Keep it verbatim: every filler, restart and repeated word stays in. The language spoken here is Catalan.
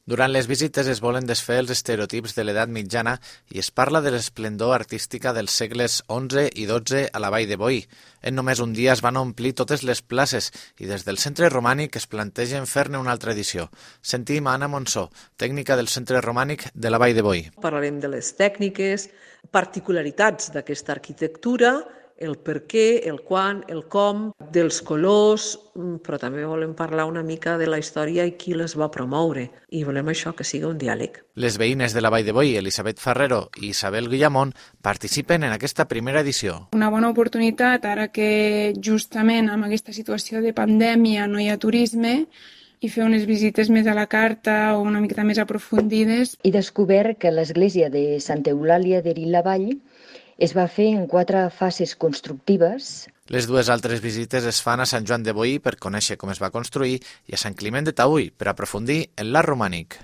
Durant les visites es volen desfer els estereotips de l'edat mitjana i es parla de l'esplendor artística dels segles onze i dotze a la Vall de Boí. En només un dia es van omplir totes les places i des del Centre Romànic es plantegen fer-ne una altra edició. Sentim a Anna Monsó, tècnica del Centre Romànic de la Vall de Boí. Parlarem de les tècniques, particularitats d'aquesta arquitectura, el per què, el quan, el com, dels colors, però també volem parlar una mica de la història i qui les va promoure. I volem això, que sigui un diàleg. Les veïnes de la Vall de Boí, Elisabet Ferrero i Isabel Guillamón, participen en aquesta primera edició. Una bona oportunitat, ara que justament amb aquesta situació de pandèmia no hi ha turisme, i fer unes visites més a la carta o una miqueta més aprofundides. He descobert que l'església de Santa Eulàlia de Rilavall es va fer en quatre fases constructives. Les dues altres visites es fan a Sant Joan de Boí per conèixer com es va construir i a Sant Climent de Taüll per aprofundir en l'art romànic.